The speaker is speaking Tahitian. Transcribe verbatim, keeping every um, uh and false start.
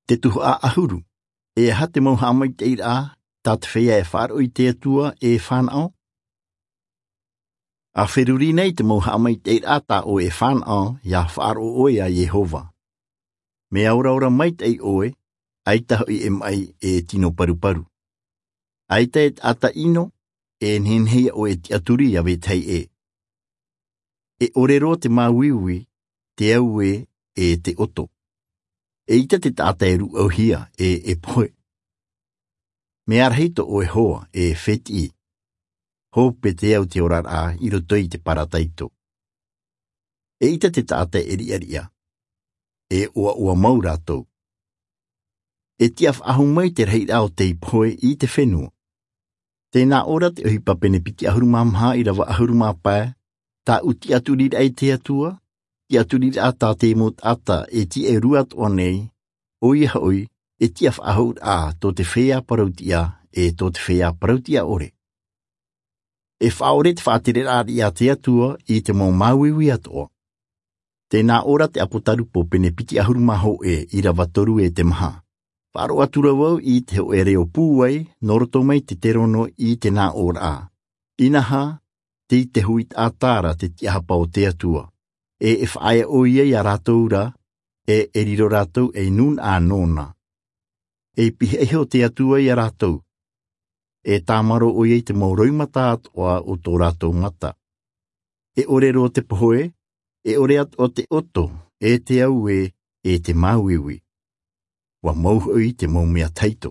Te tuhaʻa ʻahuru. E aha te mau haʻamaitaʻiraʻa tā te feiā e faʻaroʻo i te Atua e fānaʻo? A feruri nei te mau haʻamaitaʻiraʻa tā ʻoe e fānaʻo, ia faʻaroʻo ʻoe iā Iehova. Mea oraora maitaʻi ʻoe, ʻaita hoʻi e maʻi e tino paruparu. ʻAita e taʻata ʻino e nehenehe ia ʻoe e tiʻaturi iā vetahi ʻē. E ʻore roa te māuiui, te auē, e te ʻoto. ʻEita te taʻata e rūʻauhia e e pohe. Mea rahi tō ʻoe hoa e fētiʻi. Hope te au te oraraʻa i roto i te parataito. ʻEita te taʻata e riʻariʻa, e ʻoaʻoa mau rātou. E tiʻa faʻahou mai te rahiraʻa o tei pohe i te fenua. Tē nā ʻō ra te ʻohipa pene piti ʻahuru mā maha ʻīrava ʻahuru mā pae, tāʻu tiʻaturiraʻa i te Atua, tiʻaturiraʻa tā te mau taʻata e tiʻa e rua atoʻa nei, ʻoia hoʻi, e tiʻa faʻahouraʻa tō te feiā parau-tiʻa e tō te feiā parau-tiʻa ʻore. E faʻaʻore te faʻatereraʻa a te Atua i te mau māuiui atoʻa. Tē nā ʻō ra te ʻApotarupo pene piti ʻahuru mā hōʻē ʻīrava toru e te maha. Faʻaroʻo atu ra vau i te hōʻē reo pūai, nō roto mai te terono i te nā ʻōraʻa. Inaha, tei te hui taʻata ra te tiʻahapa o te Atua. E e faʻaea ʻoia iā rātou ra, e e riro rātou ei nūnaʻa nōna. E pihaʻi iho te Atua iā rātou. E tāmaro ʻoia i te mau roimata atoʻa o tō rātou mata. E ʻore roa te pohe, e ʻore atoʻa te ʻoto, e te auē, e te māuiui. ʻUa mau hoʻi te mau mea tahito.